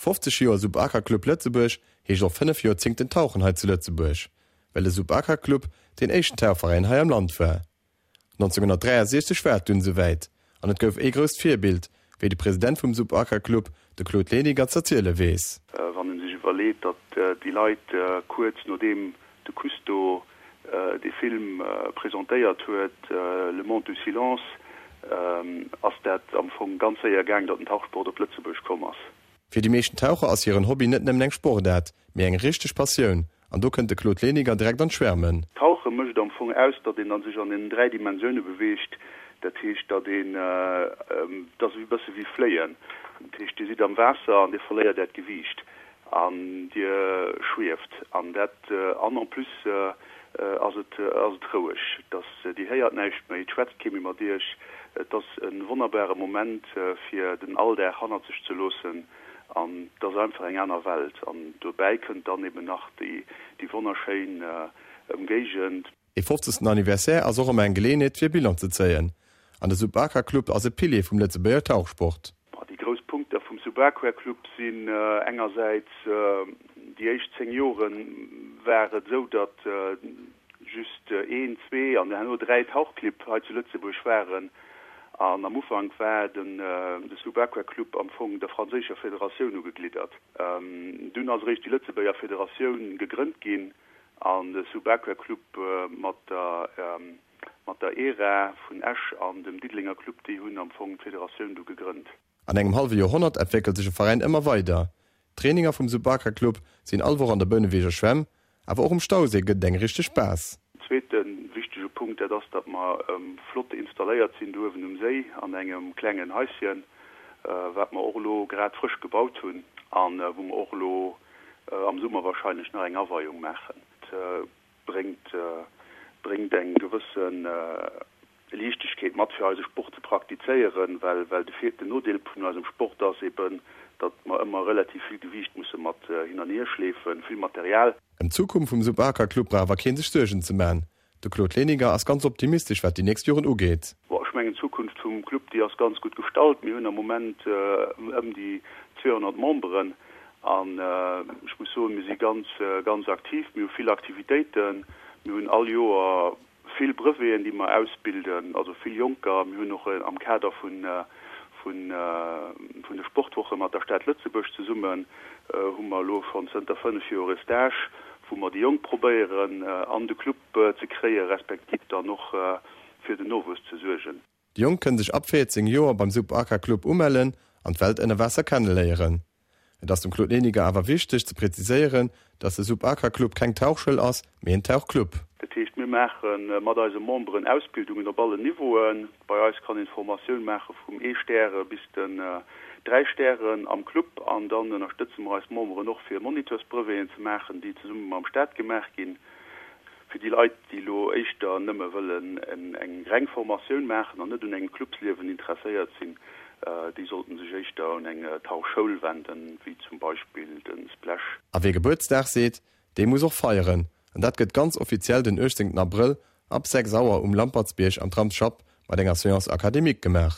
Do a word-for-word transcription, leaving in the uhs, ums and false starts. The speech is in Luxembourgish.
fofzeg Joer Sub-Aqua Club Lëtzebuerg heescht och fënnef Joerzéngten Tauchen hei zu Lëtzebuerg, well de Sub-Aqua Club deen éischten Tauchveräin hei am Land war. nonzénghunnertdräiasechzeg war et dunn esouwäit an et gouf ee grousst Virbild, wéi de President vum Sub-Aqua Club, de Claude Leniger, z'erziele weess. Wann en sech iwwerleet, datt déi Leit kuerz nodeem de Cousteau dee Film presentéiert huet, Le monde du silence, ass dat am Fong ganz séier gaang, datt den Tauchsport op Lëtzebuerg komm ass. Fir déi meeschten Taucher ass hiren Hobby net nëmmen eng Sportaart, mee eng richteg Passioun an do kënnt de Claude Leniger direkt an d'Schwärmen. Tauche mécht am Fong aus, datt een dann sech an den dräi Dimensioune beweegt. Dat heescht, datt een, et ass e bësse wéi fléien, dat heescht Dir sidd am Waasser an Dir verléiert Äert Gewiicht an Dir schwieft an dat an en plus ass et ass et roueg, dass Dir héiert näischt méi, et schwätzt kee méi mat Iech. Et ass e wonnerbare Moment fir den Alldag hannert sech ze loossen an et ass einfach eng aner Welt an dobäi kënnt dann eben nach déi déi wonnerschéin Ëmgéigend. Ee fofzegsten Anniversaire ass och ëmmer eng Geleeënheet fir Bilan ze zéien an de Sub-Aqua Club ass e Pilier vum Lëtzebuerger Tauchsport. Déi grouss Punkter vum Sub-Aqua Club sinn engersäits, déi éischt zéng Jore war et esou, datt just een, zwee an herno dräi Tauchclibb hei zu Lëtzebuerg waren. An am Ufank war de Sub-Aqua Club am Fong der franséischer Federatioun ugegliddert. Dunn ass eréischt déi Lëtzebuerger Federatioun gegrënnt ginn an de Sub-Aqua Club mat der mat der ERA vun Esch an dem Diddelenger Club, déi hunn am Fong d'Federatioun du gegrënnt. An engem hallwe Joerhonnert entwéckelt sech e Veräin ëmmer weider. D'Traininger vum Sub-Aqua Club sinn all Woch an der Bouneweger Schwämm, awer och um Stauséi gëtt et eng richteg Base. Zweete wichtege Punkt, dat ass, datt mer flott installéiert sinn do uewen um Séi an engem klengen Haischen, wat mer och elo grad frësch gebaut hunn a wou mer och elo am Summer wahrscheinlech nach eng Aweiung maachen. Et bréngt bréngt eng gewësse Liichtegkeet mat fir eise Sport ze praktizéieren, well well de Vir den Nodeel vun eisem Sport ass eben, datt mer ëmmer relativ vill Gewiicht musse mat hin an hier schleefen, vill Material. Ëm d'Zukunft vum Sub-Aqua Club brauch awer kee sech Suergen ze man. De Claude Leniger ass ganz optimistesch wat déi nächst Joren ugeet. Bon, ech mengen d'Zukunft vum Club déi ass ganz gutt gestallt. Mir hunn am Moment ëm déi zweehonnert Memberen an ech muss soen, mir si ganz ganz aktiv. Mir hu vill Aktivitéiten. Mir hunn all Joer vill Breveten, déi mer ausbilden, also vill Jonker. Mir hunn och am Kader vun vun vun de Sportwoche mat der Stad Lëtzebuerg zesummen hu mer elo schonn zënter fënnef Joer e Stage, wou mer déi Jonk probéieren an de Club ze kréien, respektiv dann och fir den Nowuess ze suergen. Déi Jonk kënne sech ab véierzéng Joer beim Sub Aqua Club umellen an d'Welt ënner Waasser kenneléieren. Et ass dem Claude Leniger awer wichteg ze präziséieren, dass de Sub Aqua Club keng Tauchschoul ass, mee en Tauchclub. Dat heescht, mir maache mat eise Memberen Ausbildungen op allen Niveauen. Bei eis kann een d'Formatioun maache vum ee Stäre bis den dräi Stären am Club. An dann ënnerstëtze mer eis Memberen och fir Moniteursbreveten ze maachen, déi zesumme mam Staat gemaach ginn. Fir déi Leit, déi elo éischter nëmme wëllen eng reng Formatioun maachen an net un engem Clubsliewen interesséiert sinn, déi sollten sech éischter un eng Tauchschoul wenden, wéi zum Beispill de Splash. A wee Gebuertsdag seet, dee muss och feieren. An dat gëtt ganz offiziell den uechtzéngten Abrëll ab sechs Auer um Lampertsbierg am Tramsschapp mat enger Séance académique gemaach.